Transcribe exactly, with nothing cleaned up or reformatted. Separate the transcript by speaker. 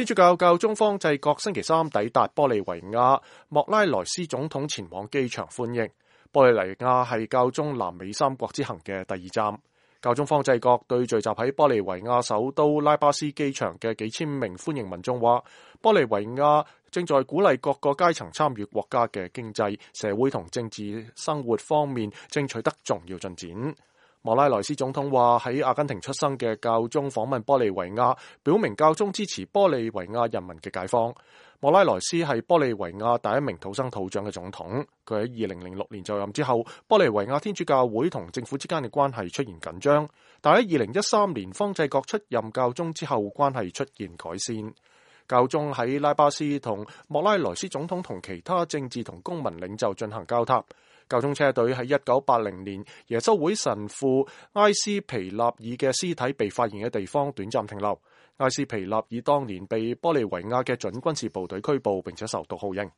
Speaker 1: 天主教教宗方濟各星期三抵達玻利維亞，莫拉萊斯總統前往機場歡迎。玻利維亞係教宗南美三國之行嘅第二站。教宗方濟各對聚集喺玻利維亞首都拉巴斯機場嘅幾千名歡迎民眾話，玻利維亞正在鼓勵各個階層參與國家嘅經濟、社會同政治生活方面正取得重要進展。莫拉萊斯總統話，喺阿根廷出生嘅教宗訪問玻利維亞，表明教宗支持玻利維亞人民嘅解放。莫拉萊斯係玻利維亞第一名土生土長嘅總統，佢喺二零零六年就任之後，玻利維亞天主教會同政府之間嘅關係出現緊張，但喺二零一三年方濟各出任教宗之後，關係出現改善。教宗喺拉巴斯同莫拉萊斯總統同其他政治同公民領袖進行交談。教宗車隊喺一九八零年耶穌會神父埃斯皮納爾嘅屍體被發現嘅地方短暫停留。埃斯皮納爾當年被玻利維亞嘅準軍事部隊拘捕並且受到酷刑。